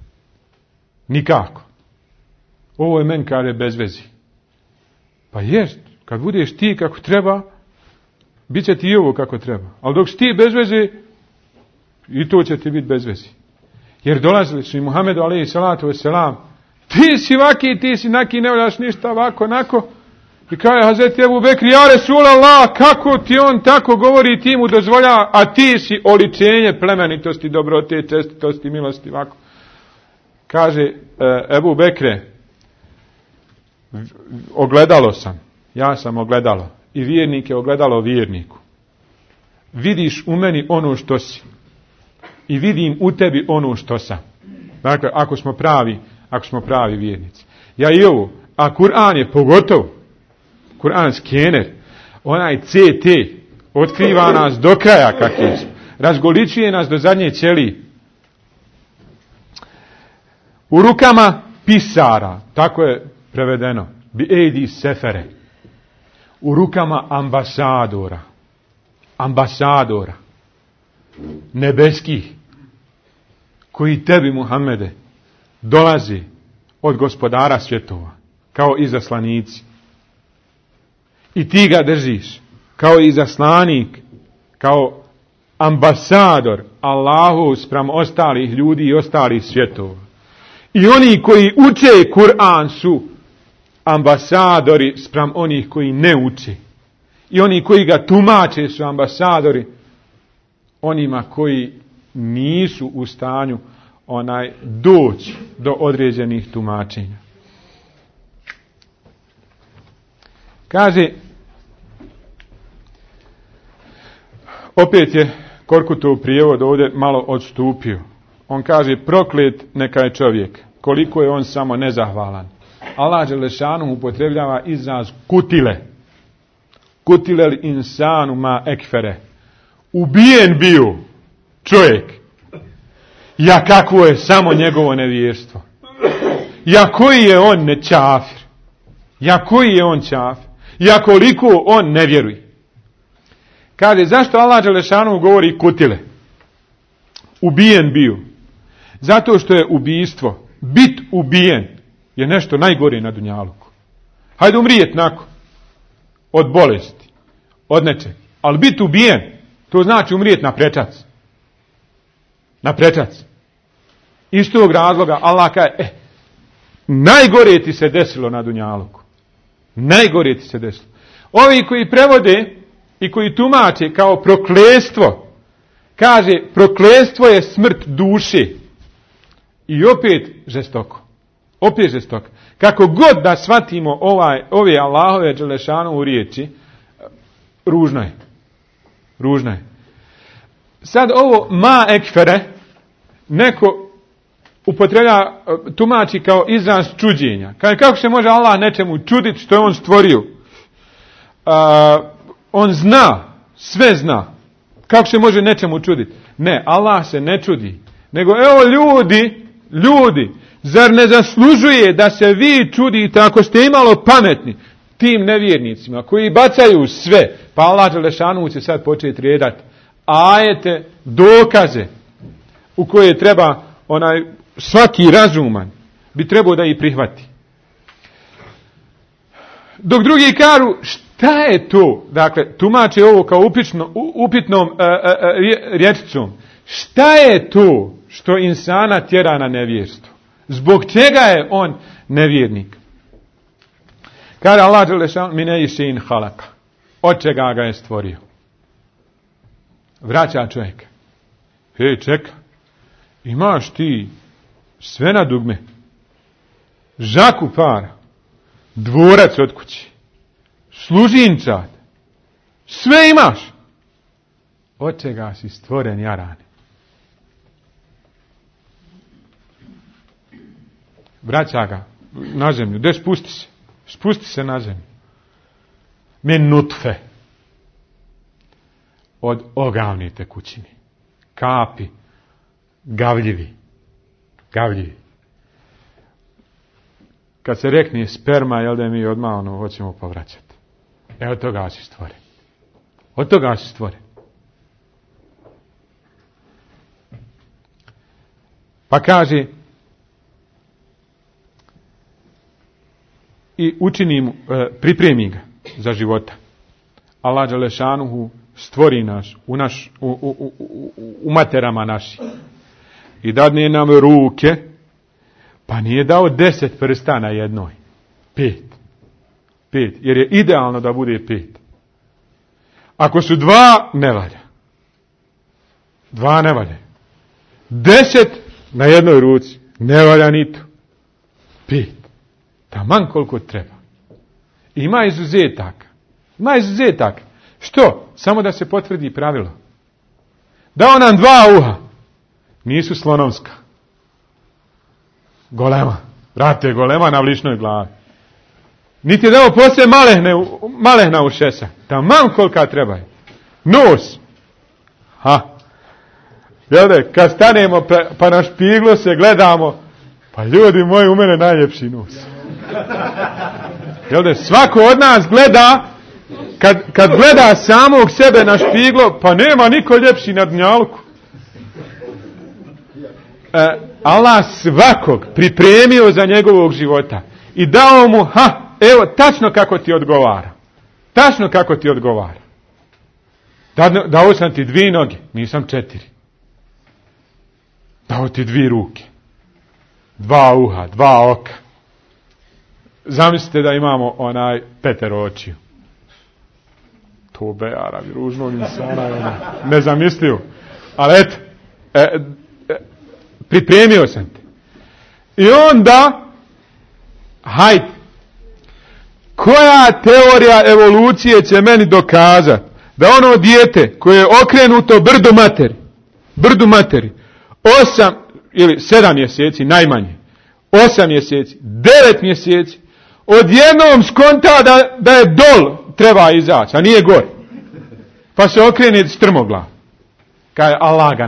Nikako. Ovo je men kaže bez vezi. Pa jest, kad budeš ti kako treba, bit će ti i ovo kako treba. Ali dok si ti bez veze, i to će ti biti bez vezi. Jer dolazili su i Muhammedu alejhi salatu vesselam, ti si vaki, ti si naki, ne voljaš ništa ovako, onako. I kaže Hazreti Ebu Bekri, ja Resulallah, kako ti on tako govori, ti mu dozvolja, a ti si oličenje plemenitosti, dobrote, čestitosti, milosti, ovako. Kaže Ebu Bekre, ogledalo sam, ja sam ogledalo, i vjernik je ogledalo vjerniku. Vidiš u meni ono što si i vidim u tebi ono što sam. Dakle, ako smo pravi vjernici. Ja i ovo, a Kur'an je pogotovo, Kur'an skener, onaj CT, otkriva nas do kraja kakvi smo, razgoličuje nas do zadnje ćelije. U rukama pisara, tako je prevedeno, bi ejdi sefere, u rukama ambasadora, nebeskih, koji tebi, Muhammede, dolazi od gospodara svjetova, kao izaslanici. I ti ga držiš, kao izaslanik, kao ambasador Allahu spram ostalih ljudi i ostalih svjetova. I oni koji uče Kur'an su ambasadori spram onih koji ne uče. I oni koji ga tumače su ambasadori onima koji nisu u stanju doći do određenih tumačenja. Kaže, opet je Korkutov prijevod ovdje malo odstupio. On kaže, proklet neka je čovjek, koliko je on samo nezahvalan. Allah dželešanu upotrebljava izraz kutile. Kutilel insanu ma ekfere. Ubijen bio čovjek. Ja kakvo je samo njegovo nevjerstvo. Ja koji je on nečafir. Ja koji je on čafir. Ja koliko on ne vjeruje. Kaže, zašto Allah dželešanu govori kutile? ubijen bio. Zato što je ubijstvo, bit ubijen, je nešto najgore na dunjaluku. Hajde umrijet nakon, od bolesti, od nečeg. Ali bit ubijen, to znači umrijet na prečac. Na prečac. Iz tog razloga Allah kaže, najgore ti se desilo na dunjaluku. Najgore ti se desilo. Ovi koji prevode i koji tumače kao prokletstvo, kaže, prokletstvo je smrt duše. I opet žestoko. Opet žestoko. Kako god da shvatimo ove Allahove dželešanovu riječi, ružno je. Ružno je. Sad ovo ma ekfere, neko upotreblja, tumači kao izraz čuđenja. Kako se može Allah nečemu čuditi što je on stvorio? On zna, sve zna. Kako se može nečemu čuditi? Ne, Allah se ne čudi. Nego evo ljudi, zar ne zaslužuje da se vi čudite ako ste imalo pametni tim nevjernicima koji bacaju sve? Pa Allah dželešanu će sad početi redati ajete, dokaze u koje treba svaki razuman bi trebao da ih prihvati. Dok drugi kažu šta je to? Dakle, tumače ovo kao upitnom rječicom. Šta je to što insana tjera na nevjerstvo? Zbog čega je on nevjernik? Kaže Allah dželešanu min šein halaka. Od čega ga je stvorio? Vraća čovjek. Hej, čeka. Imaš ti sve na dugme. Žaku para. Dvorac od kući. Služinčad. Sve imaš. Od čega si stvoren, jarane? Vraća ga na zemlju. Gdje spusti se? Spusti se na zemlju. Min nutfe. Od ogavne tekućine. Kapi. Gavljivi. Kad se rekne sperma, jel da mi odmah hoćemo povraćati. Od toga si stvoren. Od toga si stvoren. Pa kaže i učini mu, pripremi ga za života. Allah dželešanuhu stvori nas u materama naših i dadne nam ruke, pa nije dao 10 prsta na jednoj. 5, jer je idealno da bude 5. Ako su 2, ne valja. 2 ne valja. 10 na jednoj ruci, ne valja ni to. 5. Taman koliko treba. Ima izuzetak. Što? Samo da se potvrdi pravilo. Dao nam 2 uha. Nisu slonovska. Golema. Vrate, golema na vličnoj glavi. Niti je dao poslije malehna ušesa. Taman kolika trebaju. Nos. Kad stanemo pa na špiglu se gledamo, pa ljudi moji, u mene najljepši nos. Svako od nas gleda, kad gleda samog sebe na špiglo, pa nema niko ljepši na dunjaluku. Allah svakog pripremio za njegovog života i dao mu, evo, tačno kako ti odgovara. Tačno kako ti odgovara. Dao sam ti 2 noge, nisam 4. Dao ti 2 ruke, 2 uha, 2 oka. Zamislite da imamo 5 očiju. To Arabi, ružnog insana, nezamislivo. Ali eto, pripremio sam te. I onda, hajde, koja teorija evolucije će meni dokazati da ono dijete koje je okrenuto brdu materi, 8 ili 7 mjeseci najmanje, 8 mjeseci, 9 mjeseci, odjednom skonta da je dol treba izaći, a nije gor. Pa se okrene strmoglav. Kaže, Allah ga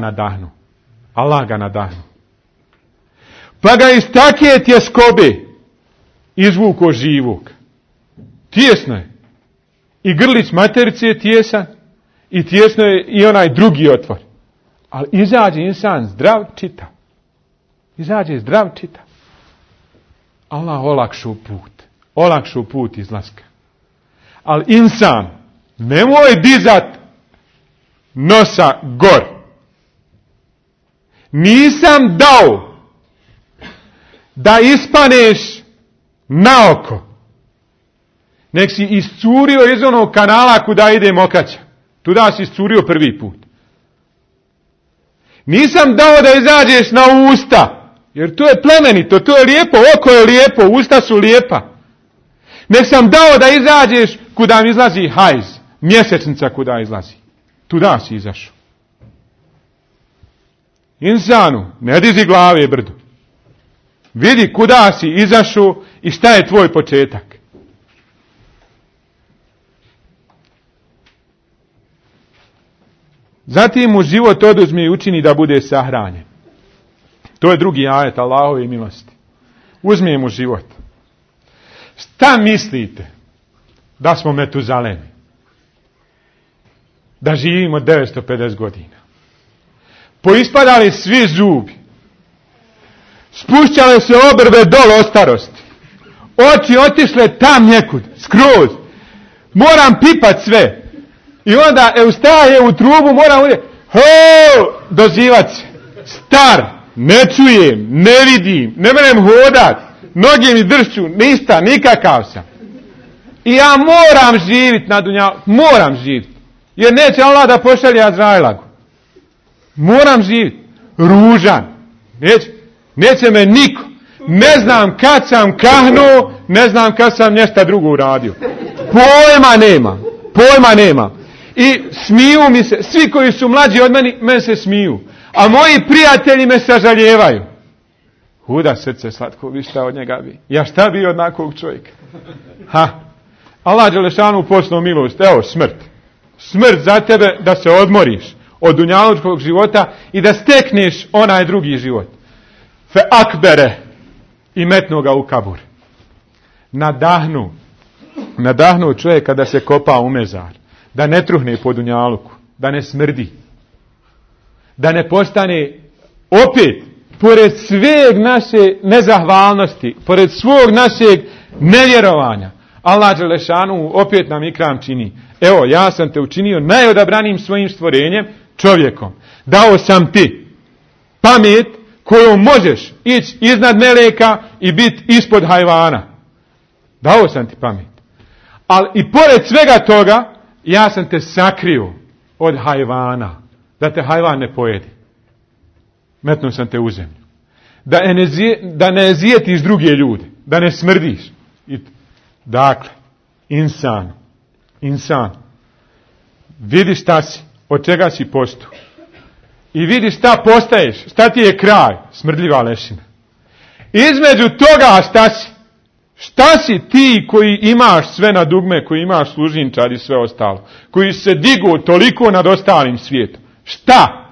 nadahnu. Pa ga iz takve tjeskobe izvuko živog. Tijesno je. I grlić materice je tijesan, i tijesno je i onaj drugi otvor. Ali izađe insan zdrav čitav. Izađe zdrav čitav. Allah olakšu put izlaska. Ali insan, nemoj dizat nosa gor. Nisam dao da ispaneš naoko. Nek si iscurio iz onog kanala kuda ide mokraća. Tuda si iscurio prvi put. Nisam dao da izađeš na usta. Jer to je plemenito, to je lijepo, oko je lijepo, usta su lijepa. Nek sam dao da izađeš kuda mi izlazi hajz, mjesečnica kuda izlazi. Tuda si izašao. Insanu, ne dizi glave brdo. Vidi kuda si izašao i šta je tvoj početak. Zatim mu život oduzme i učini da bude sahranjen. To je drugi ajet Allahove milosti. Uzme mu život. Šta mislite da smo Metuzalemi? Da živimo 950 godina. Poispadali svi zubi. Spušćale se obrve dole od starosti. Oči otišle tam nekud, skroz. Moram pipat sve. I onda ustaje u trubu, moram uvijek dozivat se. Star, ne čujem, ne vidim, ne merem hodat, noge mi dršću, ništa, nikakav sam. I ja moram živit na dunjalu, moram živit. Jer neće Allah da pošalje Azrailagu. Moram živit. Ružan. Neće me niko. Ne znam kad sam kahnuo, ne znam kad sam nešto drugo uradio. Pojma nema. I smiju mi se, svi koji su mlađi od mene se smiju. A moji prijatelji me sažaljevaju. Huda srce slatko, vi šta od njega bi? Ja šta bi od nakog čovjeka? Allah dželešanu poslao milost, evo smrt. Smrt za tebe da se odmoriš od dunjalučkog života i da stekneš onaj drugi život. Fe akbere i metnu ga u kabur. Nadahnu čovjeka da se kopa u mezar. Da ne truhne po dunjaluku. Da ne smrdi. Da ne postane opet, pored sveg naše nezahvalnosti, pored svog našeg nevjerovanja, Allah dželešanu opet nam ikram čini. Evo, ja sam te učinio najodabranim svojim stvorenjem, čovjekom. Dao sam ti pamet kojom možeš ići iznad meleka i biti ispod hajvana. Dao sam ti pamet. Ali i pored svega toga, ja sam te sakrio od hajvana. Da te hajvan ne pojedi. Metnuo sam te u zemlju. Da ne zijetiš druge ljude. Da ne smrdiš. Dakle, insan. Vidi šta si, od čega si postu. I vidi šta postaješ, šta ti je kraj, smrdljiva lešina. Između toga šta si? Šta si ti koji imaš sve na dugme, koji imaš služinčad i sve ostalo, koji se digu toliko nad ostalim svijetom? Šta?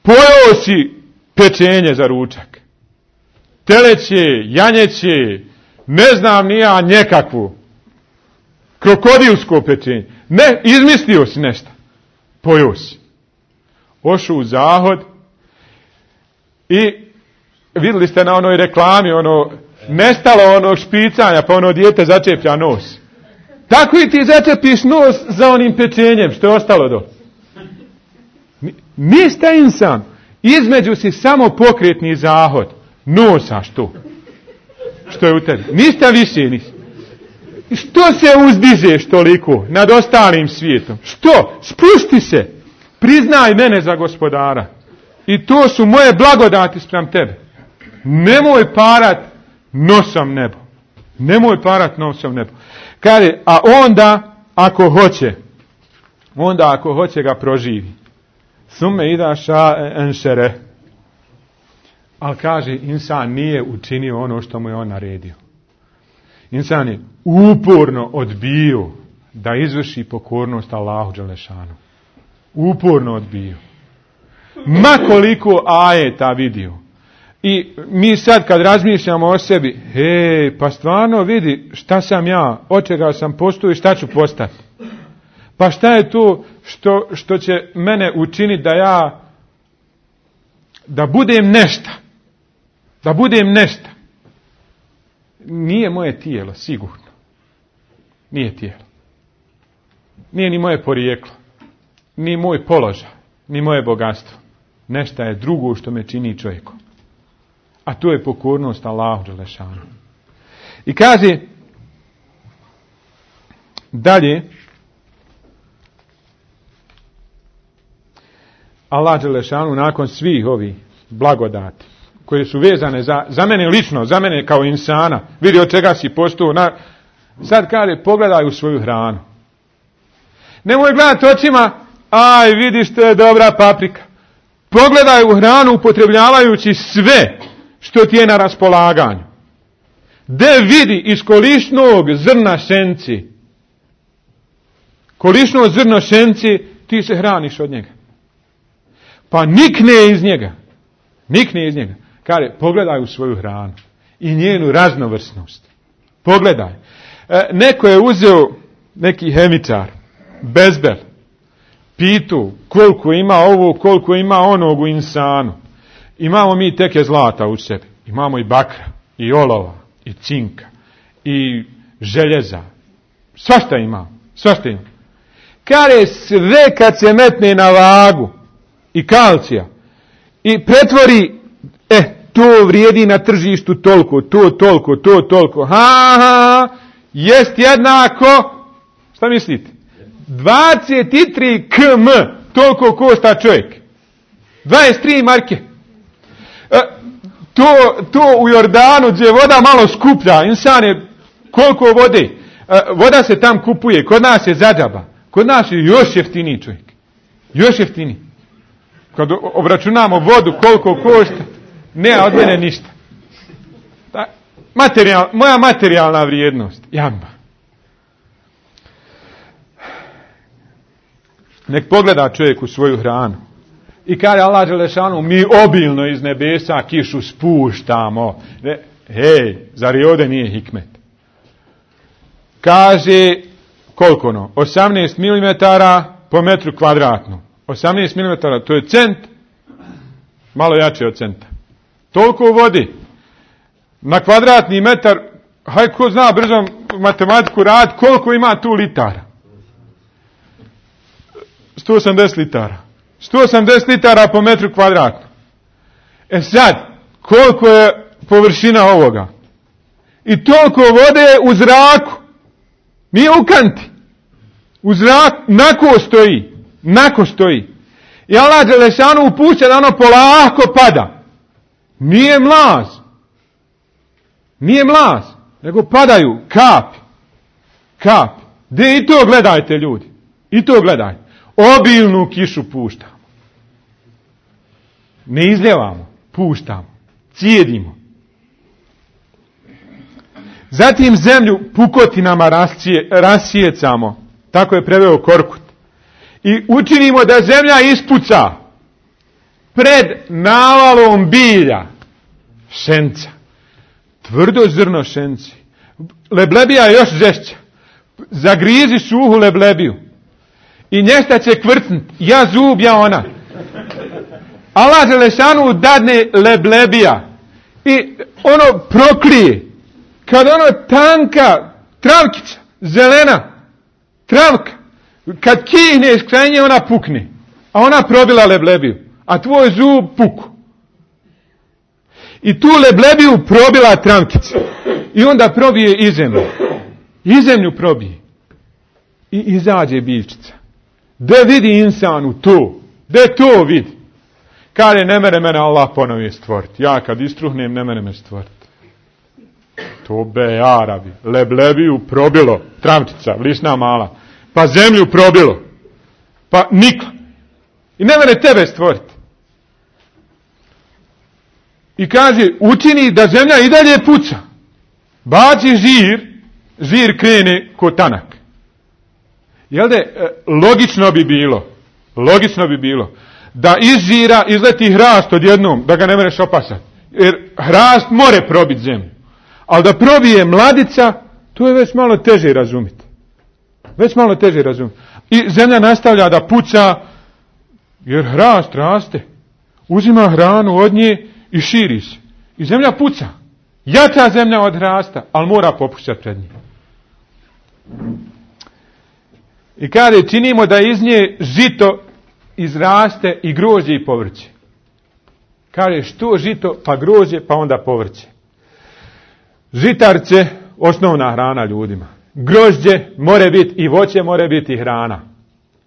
Pojeo si pečenje za ručak. Teleće, janjeće, ne znam ni ja nekakvu. Krokodilsko pečenje. Ne, izmislio si nešto. Pojeo si. Ošao u zahod i vidjeli ste na onoj reklami, nestalo onog špicanja, pa ono dijete začeplja nos. Tako i ti začepiš nos za onim pečenjem što je ostalo do. Nista insan. Između si samo pokretni zahod. Nosaš to. Što je u tebi. Nista više nisi. Što se uzdižeš toliko nad ostalim svijetom? Što? Spusti se. Priznaj mene za gospodara. I to su moje blagodati spram tebe. Nemoj parat nosom nebo. Nemoj parat nosom nebo. Kaže, a onda ako hoće ga proživi. Sume idaša enšere. Ali kaže, insan nije učinio ono što mu je on naredio. Insan je uporno odbio da izvrši pokornost Allahu dželešanu. Uporno odbio. Ma koliko ajeta vidio. I mi sad kad razmišljamo o sebi, pa stvarno vidi šta sam ja, od čega sam postao i šta ću postati. Pa šta je to što će mene učiniti da budem nešto? Da budem nešto. Nije moje tijelo, sigurno. Nije tijelo. Nije ni moje porijeklo. Ni moj položaj. Ni moje bogatstvo. Nešto je drugo što me čini čovjekom. A to je pokornost Allahu dželešanu. I kaže dalje, Allah dželešanu nakon svih ovih blagodati koje su vezane za mene lično, za mene kao insana, vidi od čega si postao, sad kaže pogledaj u svoju hranu. Nemoj gledati očima, aj vidiš to je dobra paprika. Pogledaj u hranu upotrebljavajući sve što ti je na raspolaganju. De vidi iz kolišnog zrna šenci. Kolišno zrno šenci, ti se hraniš od njega. Pa nikne iz njega. Nikne iz njega. Kaže, pogledaj u svoju hranu i njenu raznovrsnost. Pogledaj. Neko je uzeo, neki hemičar, bezbel, pitu koliko ima ovo, koliko ima onog u insanu. Imamo mi teke zlata u sebi. Imamo i bakra, i olova, i cinka, i željeza. Svašta imamo. Svašta imamo. Kaže, sve kad se metne na vagu i kalcija i pretvori, to vrijedi na tržištu toliko, to toliko. Jest jednako, šta mislite? 23 km, toliko košta čovjek. 23 marke. To u Jordanu gdje je voda malo skuplja, insan je koliko vode. Voda se tam kupuje, kod nas je zadžaba. Kod nas je još jeftiniji čovjek. Još jeftiniji. Kad obračunamo vodu koliko košta, ne od mene ništa. Moja materijalna vrijednost, jamba. Nek pogleda čovjek u svoju hranu. I kaže Allah dželešanu, mi obilno iz nebesa kišu spuštamo. Hej, zar i ovdje nije hikmet? Kaže, koliko no? 18 mm po metru kvadratnom. 18 mm, to je cent, malo jače od centa. Toliko vodi. Na kvadratni metar, haj ko zna brzo matematiku rad, koliko ima tu litara? 180 litara. 180 litara po metru kvadratnom. Sad, koliko je površina ovoga? I toliko vode u zraku. Nije u kanti. U zraku, nako stoji. I Allah dželešanu upušća da ono polako pada. Nije mlaz, nego padaju kapi. De i to gledajte ljudi. I to gledajte. Obilnu kišu puštamo. Ne izljevamo, puštamo. Cijedimo. Zatim zemlju pukotinama rasijecamo. Tako je preveo Korkut. I učinimo da zemlja ispuca pred navalom bilja. Šenca. Tvrdo zrno šenci. Leblebija je još žešća. Zagrizi suhu leblebiju. I nješta će kvrcnut. Ja zub, ja ona. Allah dželešanu dadne leblebija. I ono proklije. Kad ono tanka travkica, zelena travka, kad kihneš kraj nje ona pukne. A ona probila leblebiju. A tvoj zub puku. I tu leblebiju probila travkica. I onda probije i zemlju. I zemlju probije. I izađe biljčica. Da vidi insanu to. Da to vidi. Kaže, ne mere mene Allah ponovi stvoriti. Ja kad istruhnem, ne mere me stvoriti. To be Arabi. Leblebiju probilo. Travčica, vlisna mala. Pa zemlju probilo. Pa nikla. I ne mere tebe stvoriti. I kaže, učini da zemlja i dalje puca. Baci žir krene ko tanak. Jel da logično bi bilo da iz žira izleti hrast odjednom, da ga ne mereš opasati. Jer hrast more probiti zemlju. Ali da probije mladica, to je već malo teže razumjeti. I zemlja nastavlja da puca, jer hrast raste. Uzima hranu od nje i širi se. I zemlja puca. Jača zemlja od hrasta, ali mora popuštati pred njim. I kada činimo da iz nje žito izraste i grožđe i povrće. Kaže što žito, pa grožđe, pa onda povrće. Žitarce, osnovna hrana ljudima. Grožđe more biti i voće more biti i hrana.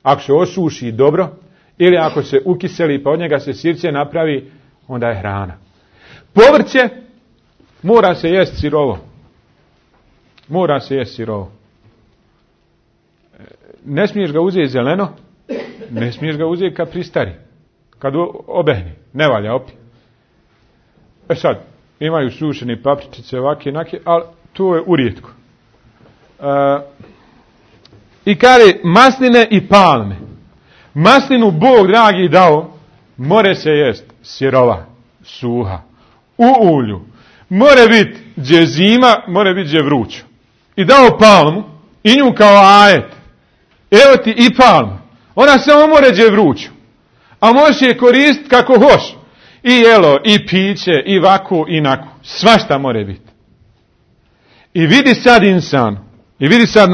Ako se osuši dobro, ili ako se ukiseli pa od njega se sirće napravi, onda je hrana. Povrće mora se jest sirovo. Mora se jest sirovo. Ne smiješ ga uzeti zeleno, ne smiješ ga uzeti kad pristari. Kad obehni, ne valja opet. Sad, imaju sušeni papričice ovake, nake, ali to je urijetko. I kaže masline i palme. Maslinu Bog dragi dao, more se jest sirova, suha, u ulju. More biti gdje zima, more biti gdje vrućo. I dao palmu, i nju kao ajet. Evo ti i palma. Ona samo more gdje vruću. A možeš je koristiti kako hoš. I jelo, i piće, i vaku, i naku. Svašta more biti. I vidi sad insan. I vidi sad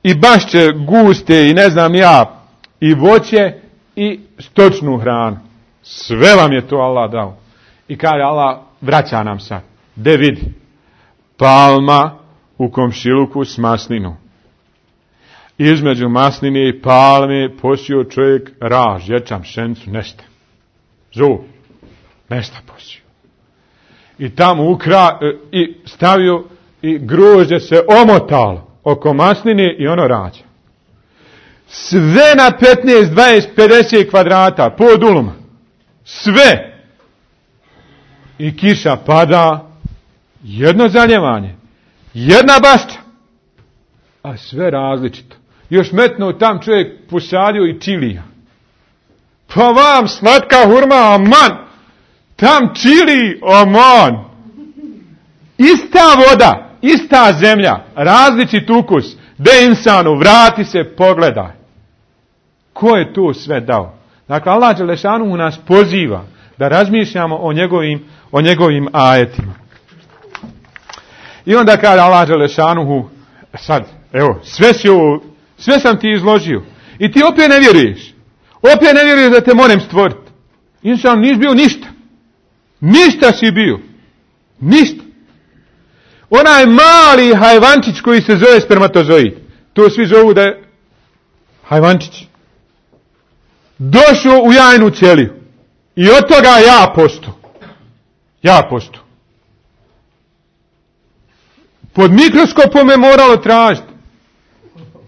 i bašće guste, i ne znam ja, i voće, i stočnu hranu. Sve vam je to Allah dao. I kaže Allah, vraća nam sad. De vidi. Palma u komšiluku s maslinom. Između masline i palme posio čovjek raž, ječam, pšenicu, nešto. Zub, nešto posio. I tamo i stavio i grožđe se omotalo oko masline i ono rađa. Sve na 15, 20, 50 kvadrata, pod uluma. Sve. I kiša pada, jedno zaljevanje, jedna bašća, a sve različito. Još metno tam čovjek posadio i čilija. Pa vam slatka hurma, aman. Tam čili, aman. Ista voda, ista zemlja, različit ukus. De insanu, vrati se, pogledaj. Ko je to sve dao? Dakle, Allah dželešanu nas poziva da razmišljamo o njegovim ajetima. I onda kaže Allah dželešanu, sad, evo, sve sam ti izložio. I ti opet ne vjeruješ. Opet ne vjeruješ da te moram stvoriti. Insan nisi bio ništa. Ništa si bio. Ništa. Onaj mali hajvančić koji se zove spermatozoid. To svi zovu da je hajvančić. Došao u jajnu ćeliju. I od toga ja posto. Ja posto. Pod mikroskopom je moralo tražiti.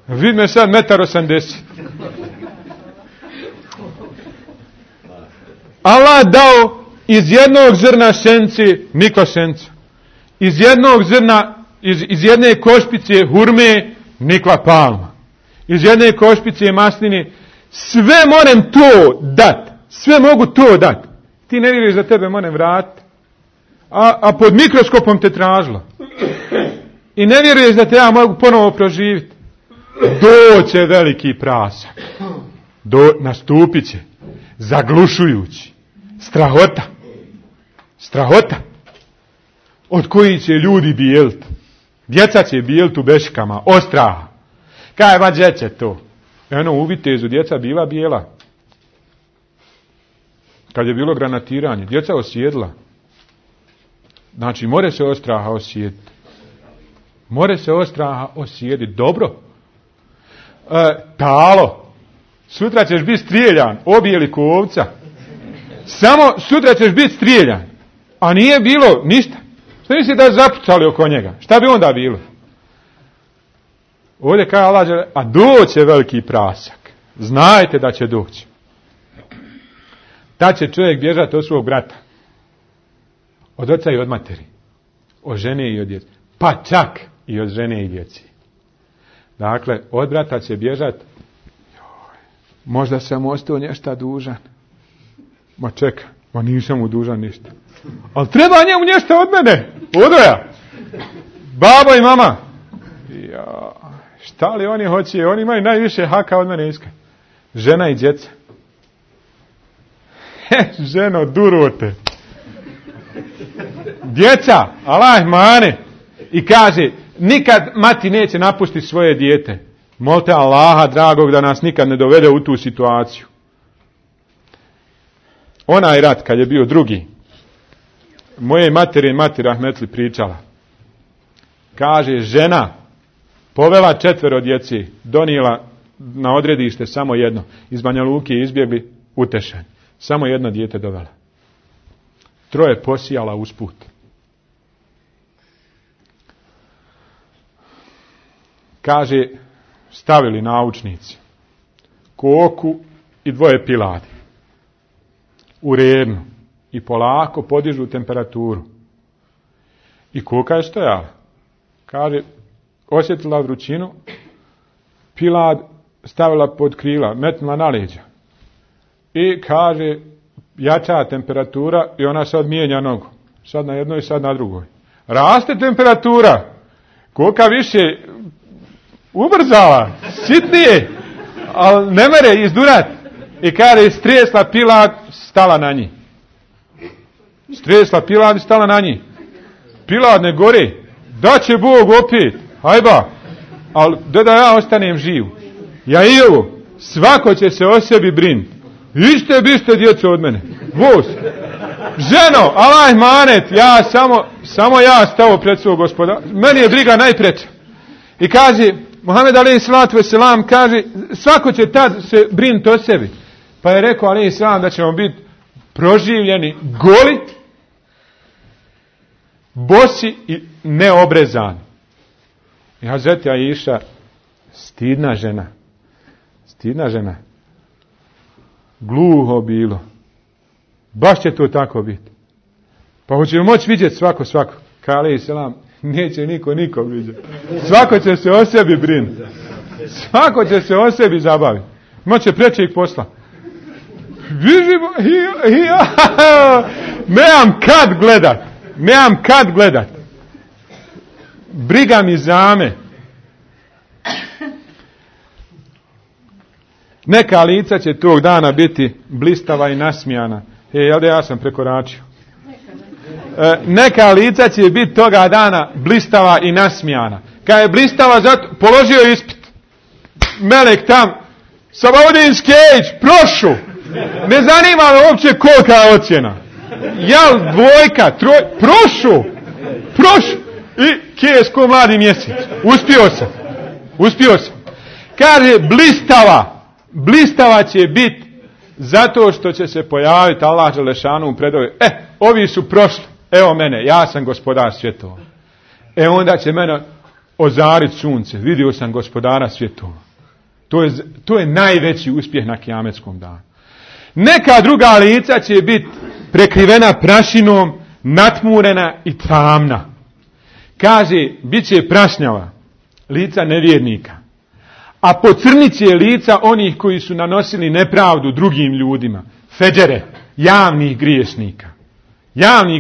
Vid me sad 1,80 m. Allah dao iz jednog zrna senci nikla senca. Iz jednog zrna, iz jedne košpice hurme nikla palma. Iz jedne košpice masline. Sve moram to dat. Sve mogu to dat. Ti ne vjeruješ da tebe moram vratiti. A pod mikroskopom te tražilo. I ne vjeruješ da te ja mogu ponovo proživiti. Doće veliki prasak. Nastupit će. Zaglušujući. Strahota. Strahota. Od koji će ljudi bijeliti. Djeca će bijeliti u beškama. Ostraha. Kaj va djeće to? Eno u Vitezu djeca bila bijela. Kad je bilo granatiranje. Djeca osjedla. Znači more se ostraha osjediti. More se ostraha osjediti. Dobro. Talo. Sutra ćeš biti strijeljan. Obijeli ko ovca. Samo sutra ćeš biti strijeljan. A nije bilo ništa. Što misli da je zapucali oko njega? Šta bi onda bilo? Ovdje kaže Allah, a doće veliki prasak. Znajte da će doći. Tad će čovjek bježati od svog brata. Od oca i od materi. Od žene i od djece. Pa čak i od žene i djeci. Dakle, od brata će bježati. Možda sam ostao nešto dužan. Ma čeka, ma nisam mu dužan ništa. Ali treba njemu nešto od mene. Odoja. Baba i mama. Ja, Šta li oni hoće? Oni imaju najviše haka od mene iska. Žena i djeca. Ženo, durote. Djeca, Allah mane. I kaže, nikad mati neće napustiti svoje dijete. Molite Allaha dragog da nas nikad ne dovede u tu situaciju. Onaj rat kad je bio drugi, moje mati rahmetli pričala. Kaže, žena povela 4 djeci, donijela na odredište samo jedno. Iz Banja Luke izbjegli utešen. Samo jedno dijete dovela. 3 posijala usput. Kaže, stavili naučnici koku i 2 piladi u rednu i polako podižu temperaturu. I koka je stojala. Kaže, osjetila vrućinu, pilad stavila pod krila, metnula na leđa. I kaže, jača temperatura i ona sad mijenja nogu. Sad na jednoj, sad na drugoj. Raste temperatura. Koka više ubrzala, sitnije, ali ne mere izdurat. I kaže, stresla pilad, stala na njih. Stresla pilad i stala na njih. Pilad ne gori. Da će Bog opet. Hajba. Ali da ja ostanem živ. Ja i ovo. Svako će se o sebi brinuti. Ište biste djeco od mene. Vos. Ženo, Allah manet. Ja samo ja stavo pred svog gospoda. Meni je briga najpreća. I kaže, Muhammed alejhi salatu vesselam kaže, svako će tad se brinuti o sebi. Pa je rekao alejhi selam da ćemo biti proživljeni goli, bosi i neobrezani. I Hazreti Aisha, stidna žena, gluho bilo. Baš će to tako biti. Pa hoćemo moći vidjeti svako. Kaže alejhi selam, neće niko vidjeti. Svako će se o sebi brinuti. Svako će se o sebi zabaviti. Moće prečeg posla. Nemam kad gledat. Briga mi zame. Neka lica će tog dana biti blistava i nasmijana. Jel da ja sam prekoračio? Neka lica će biti toga dana blistava i nasmijana. Kad je blistava, položio ispit. Melek tam, Sabahudin Skejć, prošu. Ne zanima me uopće kolika je ocjena. Jel 2, 3, prošu. I Kijesko mladi mjesec. Uspio sam. Kaže, blistava će biti zato što će se pojaviti Allah dželešanu u predove. Ovi su prošli. Evo mene, ja sam gospodar svjetova. Onda će mene ozariti sunce. Vidio sam gospodara svjetova. To je najveći uspjeh na kijametskom danu. Neka druga lica će biti prekrivena prašinom, natmurena i tamna. Kaže, bit će prašnjava lica nevjernika. A pocrnit će lica onih koji su nanosili nepravdu drugim ljudima. Feđere, javnih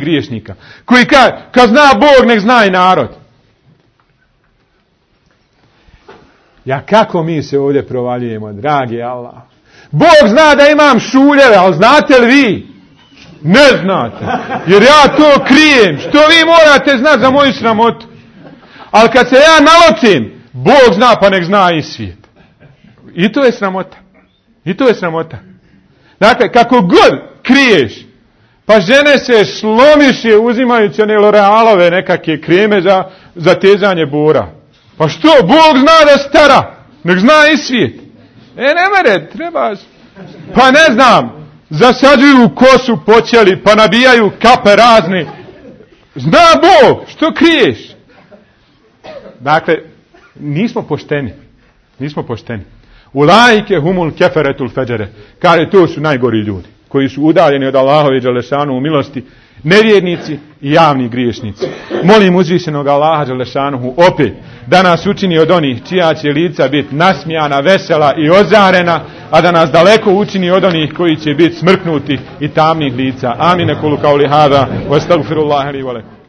griješnika. Koji kad zna Bog, nek zna i narod. Ja kako mi se ovdje provaljujemo, dragi Allah. Bog zna da imam šuljeve, ali znate li vi? Ne znate. Jer ja to krijem. Što vi morate znati za moju sramotu? Ali kad se ja nalocim, Bog zna pa nek zna i svijet. I to je sramota. Dakle, kako god kriješ, pa žene se slomiše uzimajući one L'Orealove nekakve kreme za tezanje bora. Pa što? Bog zna da stara. Nek zna i svijet. Ne mere, treba... Pa ne znam, zasađuju kosu počeli, pa nabijaju kape razne. Zna Bog, što kriješ? Dakle, nismo pošteni. Ulaike humul keferetul feđere. Kaže, to su najgori ljudi, koji su udaljeni od Allahove dželešanu u milosti, nevjernici i javni griješnici. Molim uzvišenog Allaha dželešanuhu opet da nas učini od onih čija će lica biti nasmijana, vesela i ozarena, a da nas daleko učini od onih koji će biti smrknuti i tamnih lica. Amin. Kulu kauli hada, wa astagfirullaha li wa lakum.